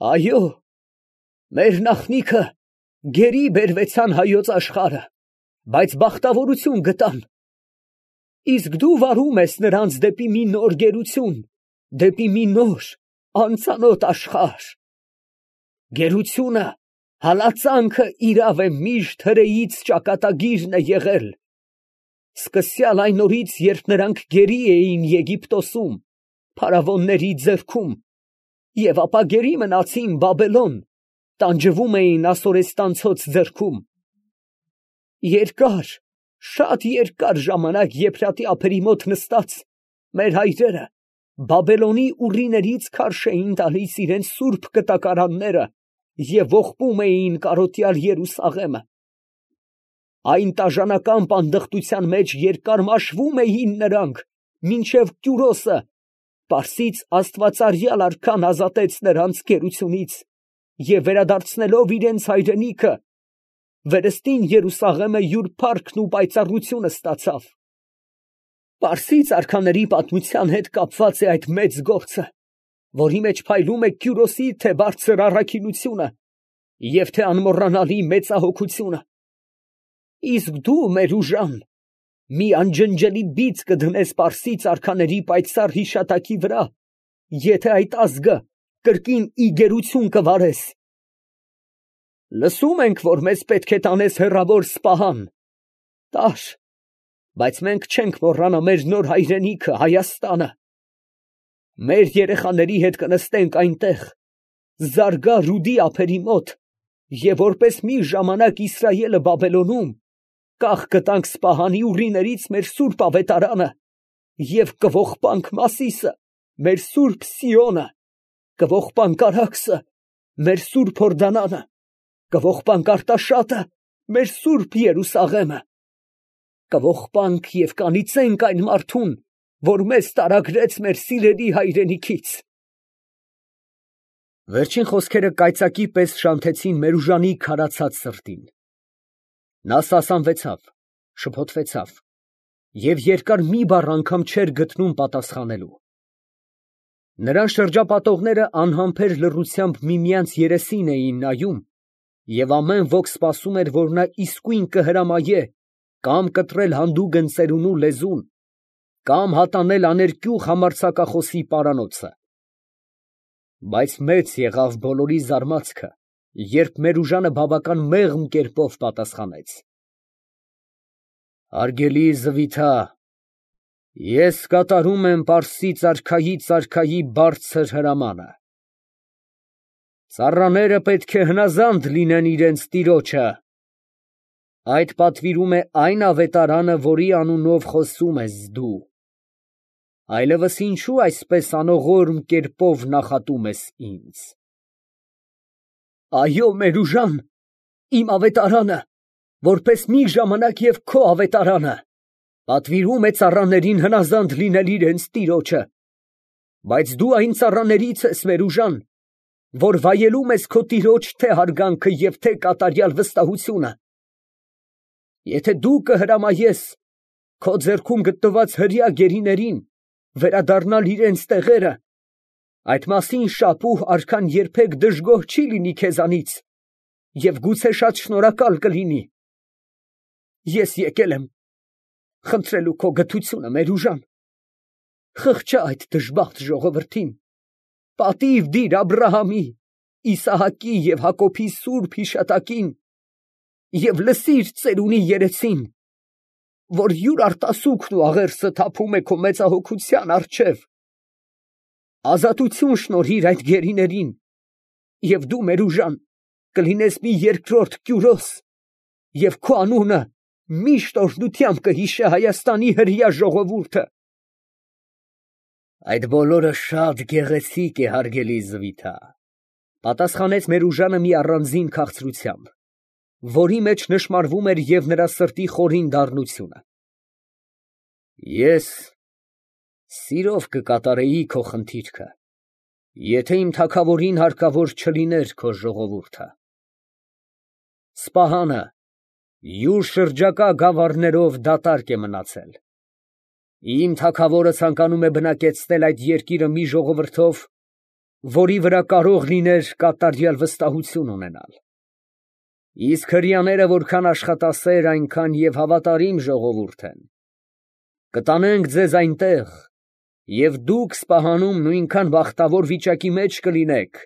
Այո, մեր նախնիքը գերի բերվեցան հայոց աշխարհը, բայց բախտավորություն գտան։ Իսկ դու վարում ես նրանց դեպի մի նոր գերություն, դեպի մի նոր անծանոթ աշխարհ։ Գերությունը, հալածանքը իրավ է միշտ հրեից ճակատագիրն է եղել։ Սկսյալ այն օրից, երբ նրանք գերի էին Եգիպտոսում, փարավոնների ձեռքում, և ապա գերի մնացին Բաբելոն, տանջվում էին ասորեստանցոց ձեռքում։ Երկար, շատ երկար ժամանակ Եփրատի ափերի մոտ նստած, մեր հայրերը Բաբելոնի ուռիներից քարշ էին տալիս իրենց սուրբ կտակարանները և ողբում էին կարոտյալ Երուսաղեմը։ Այն տաժանական պանդխտության մեջ երկար մաշվում էին նրանք, մինչև Կյուրոսը, Պարսից աստվածարյալ արքան ազատեց նրանց գերությունից և վերադարձնելով իրենց հայրենիքը, վերստին Երուսաղեմը յուր փառքն ու պայծառությունը ստացավ։ Պարսից արքաների պատմության հետ կապված է այդ մեծ գործը, որի մեջ փայլում է Կյուրոսի թե բարձր առաքինությունը և թե անմոռանալի մեծահոգությունը։ Իսկ դու, Մերուժան, մի անջնջելի բիծ կդնես պարսից արքաների պայծառ հիշատակի վրա, եթե այդ ազգը կրկին ի գերություն կվարես։ Լսում ենք, որ մեզ պետք է տանես հեռավոր Սպահան։ Տար, բայց մենք չենք մոռանա մեր նոր հայրենիքը Հայաստանը։ Մեր երեխաների հետ կնստենք այնտեղ, Զարգա Ռուդի ափերի մոտ, և որպես մի ժամանակ Իսրայելը Բաբելոնում, կախ կտանք Սպահանի ուռիներից մեր սուրբ ավետարանը և կողողպանք Մասիսը, մեր սուրբ Սիոնը, կողողպանք Արաքսը, մեր սուրբ Հորդանանը, կողողպանք Արտաշատը, մեր սուրբ Երուսաղեմը, կողողպանք և կանիծենք այն մարդուն, որ մեզ տարագրեց մեր սիրելի հայրենիքից։ Վերջին խոսքերը կայծակի պես շանթեցին Մերուժանի քարացած սրտին։ Նա սասանվեցավ, շփոթվեցավ և երկար մի բառ անգամ չէր գտնում պատասխանելու։ Նրան շրջապատողները անհամբեր լռությամբ միմյանց երեսին էին նայում, և ամեն ոք սպասում էր, որ նա իսկույն կհրամայե կամ կտրել հանդուգն ծերունու լեզուն, կամ հատանել աներկյուղ համարձակախոսի պարանոցը։ Բայց մեծ եղավ բոլորի զարմացքը, երբ Մերուժանը բավական մեղմ կերպով պատասխանեց. Հարգելի Զվիթա, ես կատարում եմ Պարսից արքայի բարձր հրամանը։ Ծառաները պետք է հնազանդ լինեն իրենց տիրոջը։ Այդ պատվիրում է այն ավետարանը, որի անունով խոսում ես դու։ Այլևս ինչու այսպես անողորմ կերպով նախատում ես ինձ։ Այո, Մերուժան, իմ ավետարանը, որպես մի ժամանակ և քո ավետարանը, պատվիրում է ծառաներին հնազանդ լինել իրենց տիրոջը, բայց դու այն ծառաներից ես, Մերուժան, որ վայելում ես քո տիրոջ թե հարգանքը և թե կատարյալ վստահությունը։ Եթե դու կհրամայես քո ձեռքում գտնված հրեա գերիներին վերադառնալ իրենց տեղերը, այդ մասին շապուհ արքան երբեք դժգոհ չի լինի քեզանից և գուցե շատ շնորհակալ կլինի։ Ես եկել եմ խնդրելու քո գթությունը, Մերուժան, խղճա այդ դժբախտ ժողովրդին, պատիվ դիր Աբրահամի, Իսահակի և Հակոբի սուրբ հիշատակին և լսիր ծերունի երեցին, որ յուր արտասուքն ու աղերսը թափում է քո մեծահոգության առջև։ Ազատություն շնորհիր այդ գերիներին, և դու, Մերուժան, կլինես մի երկրորդ Կյուրոս, և քո անունը միշտ օրհնությամբ կհիշե Հայաստանի հրեա ժողովուրդը։ Այդ բոլորը շատ գեղեցիկ է, հարգելի Զվիթա, պատասխանեց Մերուժանը մի առանձին քաղցրությամբ, որի մեջ նշմարվում էր և նրա սրտի խորին դառնությունը։ Ես սիրով կկատարեի քո խնդիրքը, եթե իմ թագավորին հարկավոր չլիներ քո ժողովուրդը։ Սպահանը յուր շրջակա գավառներով դատարկ է մնացել։ Իմ թագավորը ցանկանում է բնակեցնել այդ երկիրը մի ժողովրդով, որի վրա կարող լիներ կատարյալ վստահություն ունենալ։ Իսկ հրեաները որքան աշխատասեր, այնքան և հավատարիմ ժողովուրդ են։ Կտանենք ձեզ այնտեղ, և դուք Սպահանում նույնքան բախտավոր վիճակի մեջ կլինեք,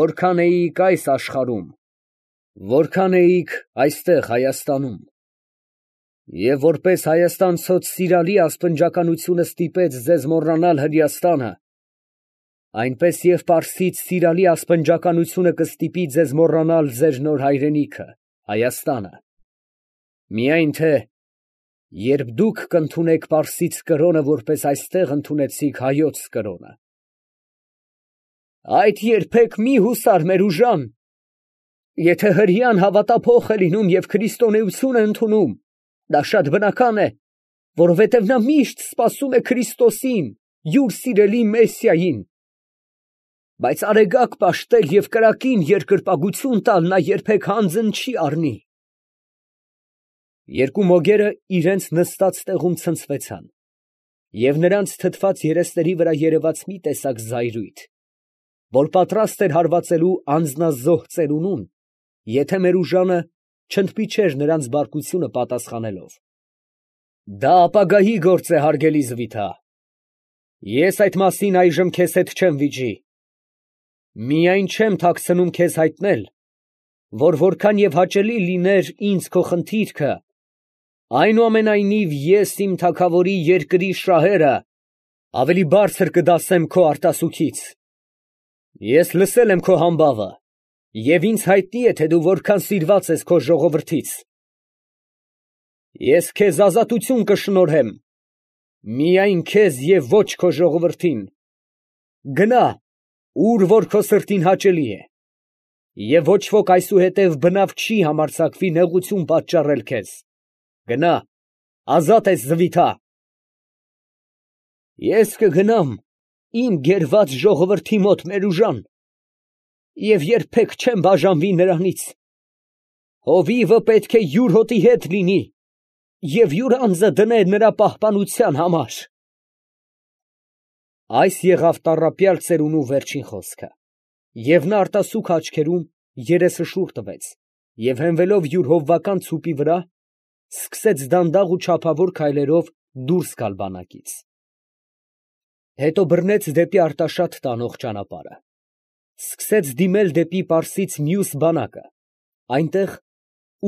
որքան էիք այս աշխարհում, որքան էիք այստեղ Հայաստանում։ Եվ որպես հայաստանցոց սիրալի ասպնջականությունը ստիպեց ձեզ մոռանալ Հրեաստանը, այնպես և պարսից սիրալի ասպնջականությունը կստիպի ձեզ մոռանալ ձեր նոր հայրենիքը, Հայաստանը։ Միայն թե երբ դուք կընդունեք պարսից կրոնը, որպես այստեղ ընդունեցիք հայոց կրոնը։ Այդ երբեք մի հուսար, Մերուժան, եթե հրեան հավատափոխ է լինում և քրիստոնեություն է ընդունում, դա շատ բնական է, որովհետև նա միշտ սպասում է Քրիստոսին, յուր սիրելի Մեսիային, բայց արեգակ պաշտել և կրակին երկրպագություն տալ նա երբեք հանձն չի առնի։ Երկու մոգերը իրենց նստած տեղում ցնցվեցան, և նրանց թթված երեսների վրա երևաց մի տեսակ զայրույթ, որ պատրաստ էր հարվածելու անձնազոհ ծերունուն, եթե Մերուժանը չընդմիջեր նրանց բարկությունը պատասխանելով. Դա ապագայի գործ է, հարգելի Զվիթա, ես այդ մասին այժմ քեզ հետ չեմ վիճի, միայն չեմ թաքցնում քեզ հայտնել, որ որքան և հաճելի լիներ ինձ քո խնդիրքը, այնուամենայնիվ ես իմ թագավորի երկրի շահերը ավելի բարձր կդասեմ քո արտասուքից։ Ես լսել եմ քո համբավը, և ինձ հայտնի է, թե դու որքան սիրված ես քո ժողովրդից։ Ես քեզ ազատություն կշնորհեմ, միայն քեզ և ոչ քո ժողովրդին։ Գնա, ուր որ քո սրտին հաճելի է, և ոչ ոք այսուհետև բնավ չի համարձակվի նեղություն պատճառել քեզ։ Գնա, ազատ ես, Զվիթա։ Ես կգնամ իմ գերված ժողովրդի մոտ, Մերուժան, և երբեք չեմ բաժանվի նրանից։ Հովիվը պետք է յուր հոտի հետ լինի և յուր անձը դներ նրա պահպանության համար։ Այս եղավ տառապյալ ծերունու վերջին խոսքը, և նա արտասուք աչքերում երեսը շուռ տվեց և հենվելով յուր հովվական ցուպի վրա, սկսեց դանդաղ ու չափավոր քայլերով դուրս գալ բանակից։ Հետո բռնեց դեպի Արտաշատ տանող ճանապարհը, սկսեց դիմել դեպի Պարսից մյուս բանակը, այնտեղ,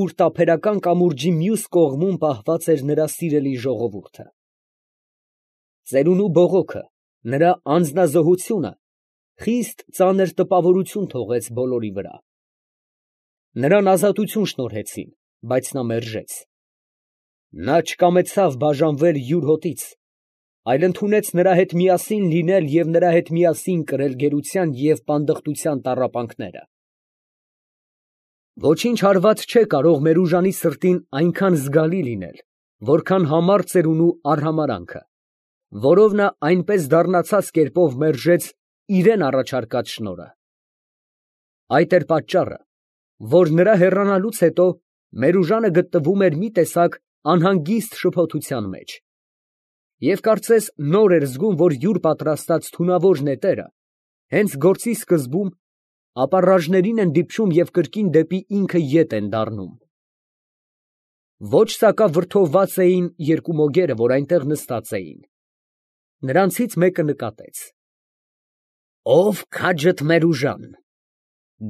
ուր տափերական կամուրջի մյուս կողմում պահված էր նրա սիրելի ժողովուրդը։ Ծերունու բողոքը, նրա անձնազոհությունը խիստ ծանր տպավորություն թողեց բոլորի վրա։ Նրան ազատություն շնորհեցին, բայց նա մերժեց։ Նա չկամեցավ բաժանվել յուր հոտից, այլ ընդունեց նրա հետ միասին լինել և նրա հետ միասին կրել գերության և պանդխտության տառապանքները։ Ոչինչ հարված չէ կարող Մերուժանի սրտին այնքան զգալի լինել, որքան համառ ծերունու արհամարհանքը, որով նա այնպես դառնացած կերպով մերժեց իրան առաջարկած շնորհը։ Այդ էր պատճառը, որ նրա հեռանալուց հետո Մերուժանը գտնվում էր մի տեսակ անհանգիստ շփոթության մեջ, և կարծես նոր էր զգում, որ յուր պատրաստած թունավոր նետերը հենց գործի սկզբում ապառաժներին են դիպչում և կրկին դեպի ինքը ետ են դառնում։ Ոչ սակավրդովված էին երկու մոգերը, որ այնտեղ նստած էին։ Նրանցից մեկը նկատեց. ֊ Ով քաջդ Մերուժան,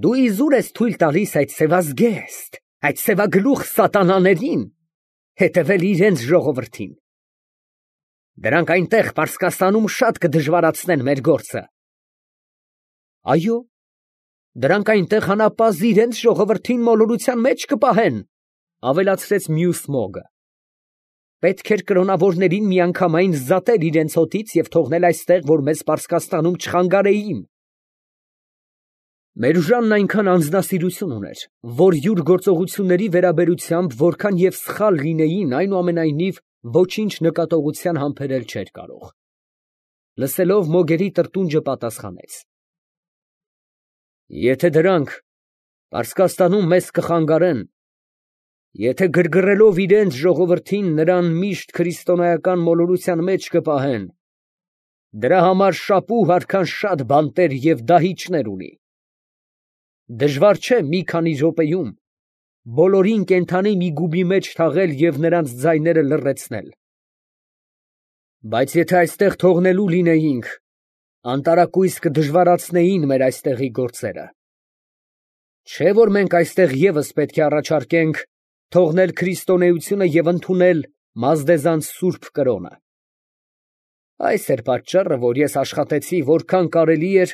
դու իզուր ես թույլ տալիս այդ սևազգեստ, այդ սևագլուխ սատանաներին հետևել իրենց ժողովրդին։ Դրանք այնտեղ Պարսկաստանում շատ կդժվարացնեն մեր գործը։ Այո, դրանք այնտեղ անապազի իրենց ժողովրդին մոլորության մեջ կպահեն, ավելացրեց մյուս մոգը։ Պետք էր կրոնավորներին միանգամայն զատել իրենց հոտից և թողնել այստեղ, որ մեզ Պարսկաստանում չխանգարեին։ Մերուժանն այնքան անձնասիրություն ուներ, որ յուր գործողությունների վերաբերությամբ որքան և սխալ լինեին, այնուամենայնիվ ոչինչ նկատողության համբերել չէր կարող։ Լսելով մոգերի տրտունջը պատասխանեց. Եթե դրանք Պարսկաստանում մեզ կխանգարեն, եթե գրգռելով իրենց ժողովրդին նրան միշտ քրիստոնեական մոլորության մեջ կպահեն, Դրա համար շապուհ արքան շատ բանտեր և դահիճներ ունի։ Դժվար չէ մի քանի րոպեում բոլորին կենդանի մի գուբի մեջ թաղել և նրանց ձայները լռեցնել։ Բայց եթե այստեղ թողնելու լինեինք, անտարակույս կդժվարացնեին մեր այստեղի գործերը։ Չէ՞ որ մենք այստեղ ևս պետք է առաջարկենք թողնել քրիստոնեությունը և ընդունել Մազդեզանց սուրբ կրոնը։ Այս էր պատճառը, որ ես աշխատեցի որքան կարելի էր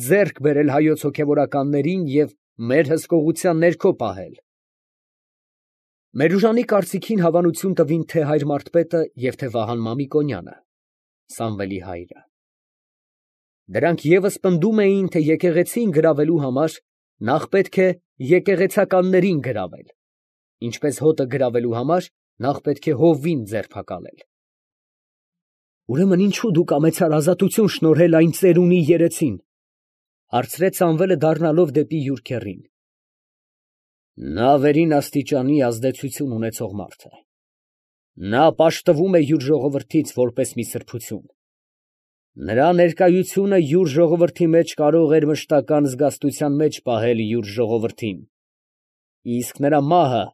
ձեռք բերել հայոց հոգևորականներին և մեր հսկողության ներքո պահել։ Մերուժանի կարծիքին հավանություն տվին թե հայր Մարդպետը և թե Վահան Մամիկոնյանը, Սամվելի հայրը։ Դրանք ևս պնդում էին, թե եկեղեցին գրավելու համար նախ պետք է եկեղեցականներին գրավել, ինչպես հոտը գրավելու համար նախ պետք է հովվին ձերբակալել։ Ուրեմն ինչո՞ւ դու կամեցար ազատություն շնորհել այն ծերունի երեցին, հարցրեց Սամվելը դառնալով դեպի յուր քեռին։ Նա վերին աստիճանի ազդեցություն ունեցող մարդ է։ Նա պաշտվում է յուր ժողովրդից որպես մի սրբություն։ Նրա ներկայությունը յուր ժողովրդի մեջ կարող էր մշտական զգաստության մեջ պահել յուր ժողովրդին, իսկ նրա մահը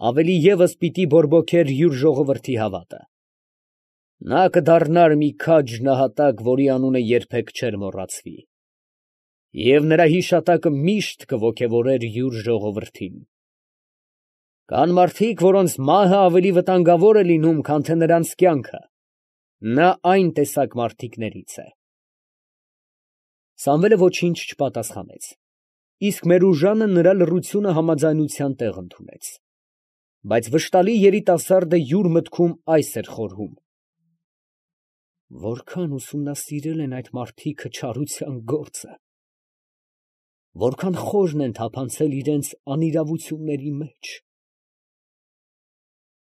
ավելի ևս պիտի բորբոքեր յուր ժողովրդի հավատը։ Նա կդառնար մի քաջ նահատակ, որի անունը երբեք չէր մոռացվի, և նրա հիշատակը միշտ կոգևորեր յուր ժողովրդին։ Կան մարդիկ, որոնց մահը ավելի վտանգավոր է լինում, քան թե նրանց կյանքը։ Նա այն տեսակ մարդիկներից է։ Սամվելը ոչինչ չպատասխանեց, իսկ Մերուժանը նրա լռությունը համաձայնության տեղ ընդունեց։ Բայց վշտալի երիտասարդը յուր մտքում այս էր խորհում. որքան ուսումնասիրել են այդ մարդիկը չարության գործը, որքան խորն են թափանցել իրենց անիրավությունների մեջ։